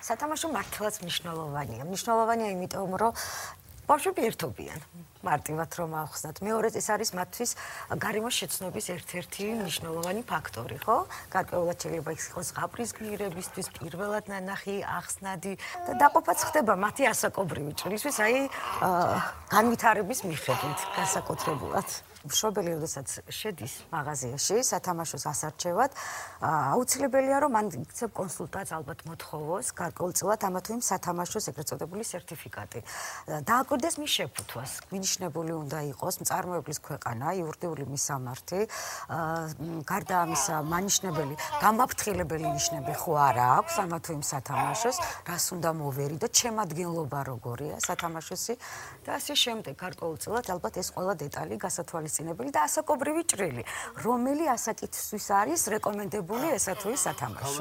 სათამაშო მართლაც მნიშვნელოვანია. მნიშვნელოვანია იმიტომ, რომ ბავშვები ერთობიან. მარტივად რომ ავხსნათ. მეორე ეს არის მათთვის გარემოს შეცნობის ერთ-ერთი მნიშვნელოვანი ფაქტორი, ხო? გარკვეულად შეიძლება იყოს ზღაპრის გმირებისთვის პირველად ნანახი, ახსნადი და დაყოფაც ხდება მათი ასაკობრივი ჭრილისთვის, აი განვითარების მიხედვით განსაკუთრებულად. მშობელი, როდესაც შედის მაღაზიაში სათამაშოს ასარჩევად, აუცილებელია რომ მან იქცებ კონსულტანტს ალბათ მოთხოვოს გარკვეულწილად ამა თუ იმ სათამაშოს ეგრეთ წოდებული სერტიფიკატი. დააკვირდეს მის შეფუთვას. მინიშნებული უნდა იყოს მწარმოებლის ქვეყანა, იურიდიული მისამართი, გარდა ამისა მანიშნებელი, გამაფრთხილებელი ნიშნები ხო არა აქვს ამა თუ იმ სათამაშოს, რას უნდა მოვერიდო, ჩემადგენლობა როგორია სათამაშოსი და ასე შემდეგ გარკვეულწილად ალბათ ეს ყველა დეტალი გასათვალისწინებელი და ასაკობრივი ჭრილი, რომელი ასაკისთვის არის რეკომენდებული ესა თუ ის სათამაშო.